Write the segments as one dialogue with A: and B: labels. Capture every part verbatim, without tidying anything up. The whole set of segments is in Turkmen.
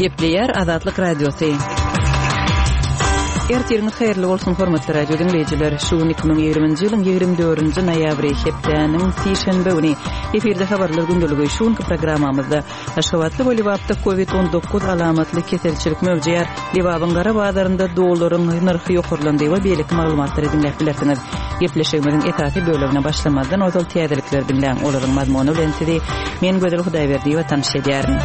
A: Gepleýär Azatlyk Radiosy. Ertiriňiz haýyrly bolsun, hormatly radio diňleýjiler. Şu gün iki müň ýigriminji ýylyň ýigrimi dördünji noýabry, hepdäniň sişenbe güni. Efirde habarlar gündeligi. Şu günki programmamyzda Aşgabatda we Lebapda Covid on dokuz alamatly keselçilik möwjeýär. Lebabyň gara bazarynda dollaryň nyrhy ýokarlandy we beýleki maglumatlary diňläp bilersiňiz. Gepleşigimiziň esasy bölegine başlamazdan ozal täzelikleri diňläň. Olaryň mazmuny bilen sizi men Gözel Hudaýberdiýewa tanyş edýärin.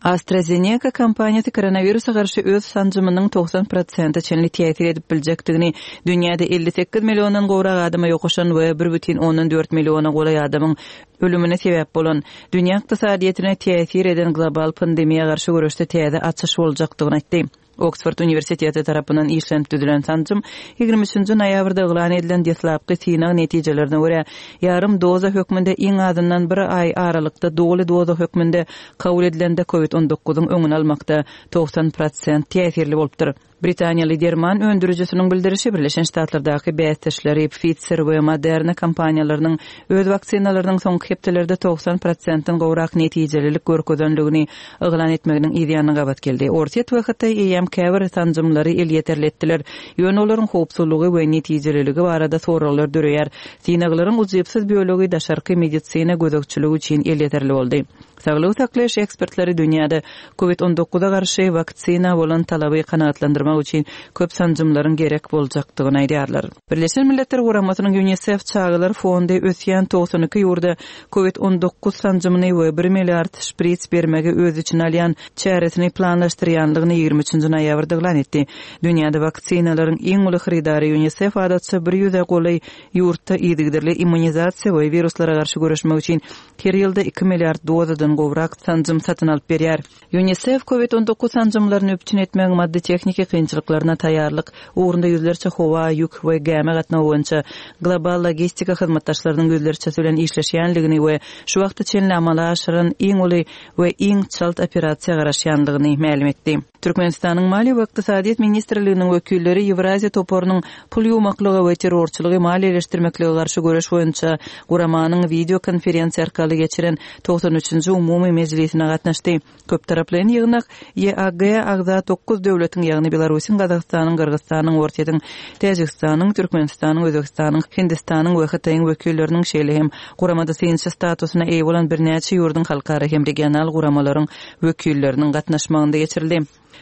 A: AstraZeneca kompaniýasy koronawirusa garşy öz sanjymynyň togsan prosente çenli täsir edip biljekdigini, dünýäde elli sekiz milliondan gowrak adama ýokaşan we bir bütin ondan dört milliona golaý adamyň ölümine sebäp bolan, dünýä ykdysadyýetine täsir eden global pandemiýa garşy göreşde täze açyş boljakdygyny aýtdy. Oksford uniwersiteti tarapyndan işlenip düzülen sanjym ýigrimi üçünji noýabrda yglan edilen deslapky synag netijelerine görä, ýarym doza hökmünde iň azyndan bir aý aralykda doly doza hökmünde kabul edilende covid on dokuzyň öňüni almakda togsan prosent täsirli bolupdyr. Britaniýaly derman öndürijisiniň bildirişi Birleşen Ştatlardaky bäsdeşleri Pfizer we Moderna kompaniýalarynyň öz waksinalarynyň soňky hepdelerde togsan prosentden gowrak netijelilik görkezenligini yglan etmeginiň yz ýanyna gabat geldi. Orsýet we Hytaý eýýäm käbir sanjymlary elýeterli etdiler. Ýöne olaryň howpsuzlygy we netijeliligi barada soraglar döreýär. Synaglaryň ujypsyz bölegi daşarky medisina gözegçiligi üçin elýeterli boldy. Saglygy saklaýyş ekspertleri dünýäde covid on dokuza garşy waksina bolan talaby kanagatlandyrmak üçin köp sanjymlaryň gerek boljakdygyny aýdýarlar. Birleşen Milletler Guramasynyň UNICEF çagalar fondy ösýän togsan iki ýurda covid on dokuz sanjymyny we bir milliard şprits bermegi öz içine alýan çäresini planlaşdyrýanlygyny ýigrimi üçünji noýabrda yglan etdi. Dünýäde waksinalaryň iň uly hyrydary UNICEF adatça bir ýüze golaý ýurtda yzygiderli immunizasiýa we wiruslara garşy göreşmek üçin her ýylda iki milliard dozadan gowrak sanjym satyn alyp berýär. UNICEF covid on dokuz sanjymlaryny üpjün etmegiň maddy tehniki kynçylyklaryna taýýarlyk ugrunda ýüzlerçe howa, ýük we gämi gatnawy boýunça global logistika hyzmatdaşlarynyň ýüzlerçesi bilen işleşýänligini we şu wagta çenli amala aşyran iň uly we iň çalt operasiýa garaşýanlygyny mälim etdi. Türkmenistanyň Maliýe we Ykdysadyýet ministrliginiň wekilleri Ýewraziýa toparynyň pul ýuwmaklyga we terrorçylygy maliýeleşdirmeklige garşy göreş boýunça guramanyň video konferensiýa arkaly geçiren togsan üçünji umumy mejlisine gatnaşdy. Köptaraplaýyn ýygnak E A G agza dokuz döwletiň, ýagny Belarusyň, Gazagystanyň, Gyrgyzystanyň, Orsýetiň, Täjigistanyň, Türkmenistanyň, Özbegistanyň, Hindistanyň we Hytaýyň wekilleriniň şeýle hem guramada synçy statusyna eýe bolan birnäçe ýurduň halkara hem regional guramalaryň wekilleriniň gatnaşmagynda geçirildi.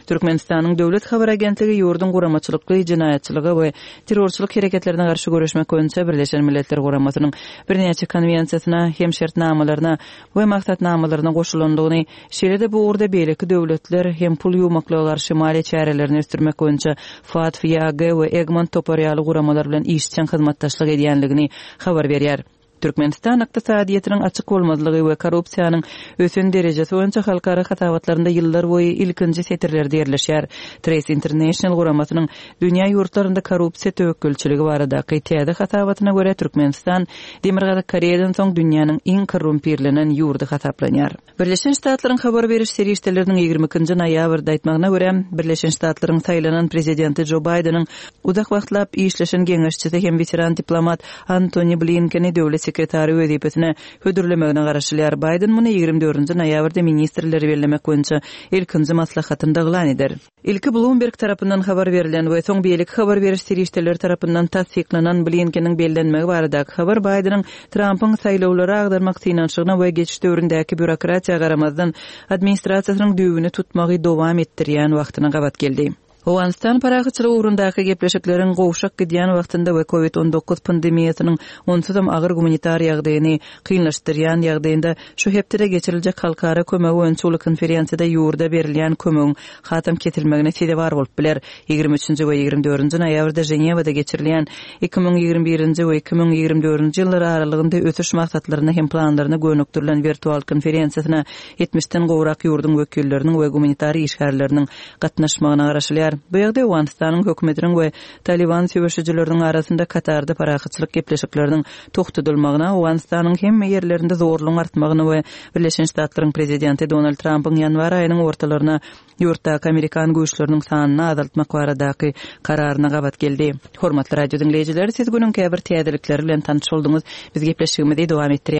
A: Türkmenistanyň Döwlet Habar Agentligi ýurduň guramaçylykly jenaýatçylyga we terrorçylyk hereketlerine garşy göreşmek boýunça Birleşen Milletler Guramasynyň birnäçe konwensiýasyna hem şertnamalaryna we maksatnamalaryna goşulandygyny, şeýle-de bu ugurda beýleki döwletler hem pul ýuwmaklyga garşy maliýe çärelerini ösdürmek boýunça F A T F, Y A G we Egmont topary ýaly guramalar bilen işjeň hyzmatdaşlyk edýänligini habar berýär. Türkmenistan ykdysadyýetiniň açyk bolmazlygy we korrupsiýanyň ösen derejesi boýunça halkara hasabatlarynda ýyllar boýy ilkinji setirlerde ýerleşýär. Trace International guramasynyň dünýä ýurtlarynda korrupsiýa töwekgelçiligi baradaky täze hasabatyna görä Türkmenistan Demirgazyk Koreýadan soň dünýäniň iň korrumpirlenen ýurdy hasaplanýar. Birleşen Ştatlaryň habar beriş serişdeleriniň ýigrimi ikinji noýabrda aýtmagyna görä, Birleşen Ştatlaryň saýlanan prezidenti Joe Bideniň uzak wagtlap işleşen geňeşçisi hem weteran diplomat Antony Blinkeni döwlet sekretary wezipesine hödürlemegine garaşylýar. Biden muny ýigrimi dördünji noýabrda ministrleri bellemek boýunça ilkinji maslahatynda yglan eder. Ilki Bloomberg tarapyndan habar berlen we soň beýleki habar beriş serişdeleri tarapyndan tassyklanan Blinkeniň bellenmegi baradaky habar Bideniň Trumpyň saýlawlary agdarmak synanyşygyna we geçiş döwründäki bürokratiýa garamazdan administrasiýasynyň düwüni tutmagy dowam etdirýän wagtyna gabat geldi. Owganystan parahatçylyk ugrundaky gepleşikleriň gowşak gidýän wagtynda we covid on dokuz pandemiýasynyň onsuzam agyr gumanitar ýagdaýyny kynlaşdyrýan ýagdaýynda şu hepdede geçiriljek halkara kömegi boýunça uly konferensiýada ýurda berilýän kömegiň hatam kesilmegine sezewar bolup biler. Ýigrimi üçünji we ýigrimi dördünji noýabrda Ženewada geçirilýän iki müň ýigrimi birinji we iki müň ýigrimi dördünji ýyllar aralygynda ösüş maksatlaryna hem planlaryna gönükdirilen wirtual konferensiýasyna ýetmişden gowrak ýurduň wekilleriniň we gumanitar işgärleriniň gatnaşmagyna garaşylýar. Bu ýagdaý Owganystanyň hökümetiniň we Taliban söweşijileriniň arasynda Katarda parahatçylyk gepleşikleriniň togtadylmagyna, Owganystanyň hemme ýerlerinde zorlugyň artmagyna we Birleşen Ştatlaryň prezidenti Donald Trumpyň ýanwar aýynyň ortalaryna ýurtdaky Amerikan güýçleriniň sanyny azaltmak baradaky kararyna gabat geldi. Hormatly radio diňleýjiler, siz günüň käbir täzelikleri bilen tanyş bolduňyz. Biz gepleşigimizi dowam etdirýäris.